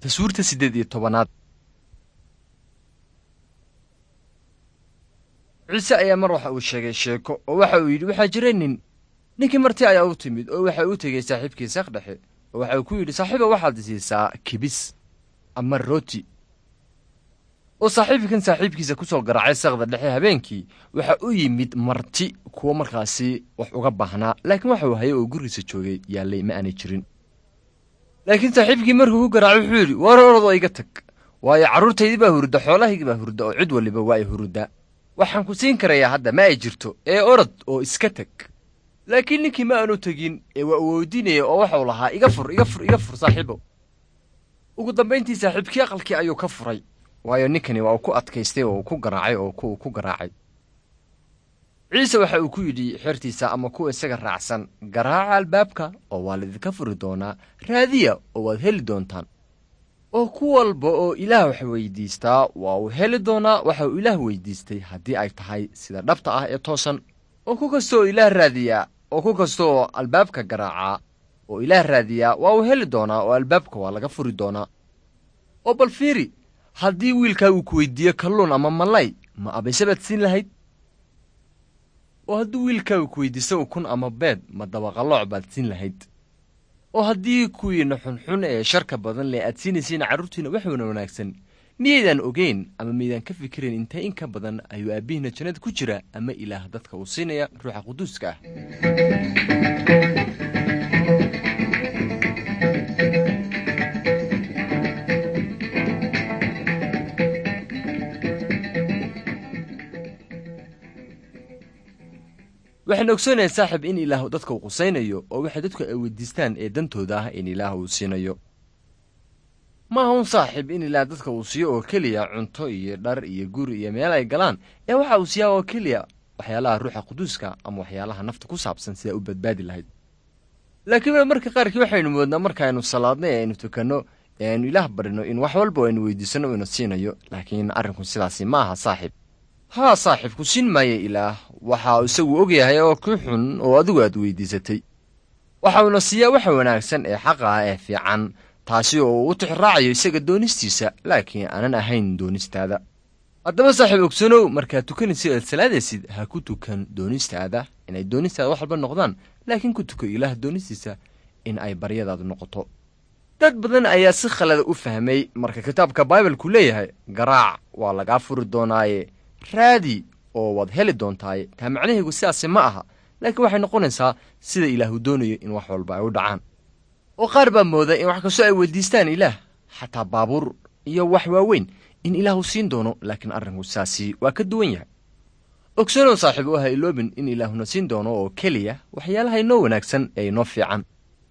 Taswiirta 18aad. Ciise ayaa mar waxa uu sheegay sheeko oo waxa uu yidhi waxaa jiray nin. Ninkii marti ayaa u timid oo waxa uu tegey saaxiibkii saq dhexe oo waxa uu ku yidhi, saaxiiba, waxaad siisaa kibis ama rooti. Oo saaxiibkan saaxiibkiisa ku soo garaacay saqda dhexe habeenkii waxa u yimid marti kuwo markaasi wax uga baahnaa, laakiin waxa uu hayay oo gurigiisa joogay yaallay ma aanay jirin. Laakiin saaxiibkii markuu ku garaacay wuxuu yidhi, war orodoo iga tag, waayo carruurtaydii baa hurda, xoolahaygii baa hurda, oo cid waliba waa ay huruddaa. Waxaan ku siin karayaa hadda ma ay jirto, ee orod oo iska tag. Laakiin ninkii ma aanu tegin ee waa uu weydiinaya oo waxau lahaa, iga fur, iga fur, iga fur, saaxiibow. Ugu dambayntii saaxiibkii aqalkii ayuu ka furay, waayo ninkani waa uu ku adkaystay oo uu ku garaacay oo uu ku garaacay. Ciise waxa uu ku yidhi xertiisa ama kuwa isaga raacsan, garaaca albaabka oo waa laidinka furi doonaa, raadiya oo waad heli doontaan. Oo ku walba oo Ilaah wax weydiistaa waa uu heli doonaa waxa uu Ilaah weydiistay haddii ay tahay sida dhabta ah ee toosan. Oo ku kasta oo Ilaah raadiyaa oo ku kasta oo albaabka garaacaa oo Ilaah raadiyaa waa uu heli doonaa oo albaabka waa laga furi doonaa. Oo bal fiiri, haddii wiilkaa uu ku weydiiyo kalluun ama malay, ma abayse baad siin lahayd? Oo haddii wiilkaa uu ku weydiisto ukun ama beed, ma dabaqalooc baad siin lahayd? Oo haddii kuwiinna xunxun ee sharka badan leh aad siinaysiin carruurtiinna wax wanaagsan, miyaydaan ogeyn ama miyaydaan ka fikirayn intee in ka badan ayuu aabbihiinna jannada ku jira ama Ilaah dadka uu siinaya Ruuxa Quduuska ah? Waxaan ogsoonahay, saaxib, in Ilaah dadka uu qusaynayo oo waxay dadku ay weydiistaan ee dantooda ah in Ilaah uu siinayo. Ma aha un, saaxiib, in Ilaah dadka uu siiyo oo keliya cunto iyo dhar iyo guri iyo meel ay galaan, ee waxa uu siiyaa oo keliya waxyaalaha Ruuxa Quduuska ama waxyaalaha nafta ku saabsan sidaa u badbaadi lahayd. Laakiin marka qaarkii waxaynu moodnaa markaaynu salaadno ee aynu tukanno ee aynu Ilaah barino in wax walba aynu weydiisanno ina siinayo, laakiin arrinku sidaasi ma aha, saaxiib. Haa, saaxiib, ku siin maayo Ilaah waxa isagu og yahay oo ku xun oo adigu aad weydiisatay. Waxa uuna siiyaa waxa wanaagsan ee xaqa ah ee fiican, taasi oo uu u tixraacayo isaga doonistiisa, laakiin aanan ahayn doonistaada. Haddaba, saaxiib, ogsanow, markaad tukanaysid aad salaadaysid, ha ku tukan doonistaada inay doonistaada wax walba noqdaan, laakiin ku tuko Ilaah doonistiisa in ay baryadaadu noqoto. Dad badan ayaa si khalada u fahmay marka kitaabka Baibalku leeyahay, garaac waa lagaa furi doonaaye, raadi oo waad heli doontaaye. Taa macnaheegu sidaasi ma aha, laakiin waxay noqonaysaa sida Ilaahu doonayo in wax walba ay u dhacaan. Oo qaar baa mooda in wax kastoo ay weydiistaan Ilaah, xataa baabuur iyo wax waaweyn, in Ilaahu siin doono, laakiin arrinku sidaasi waa ka duwan yahay. Ogsanow, saaxiib, oo ha iloobin in Ilaahuna siin doono oo keliya waxyaalaha inoo wanaagsan ee inoo fiican.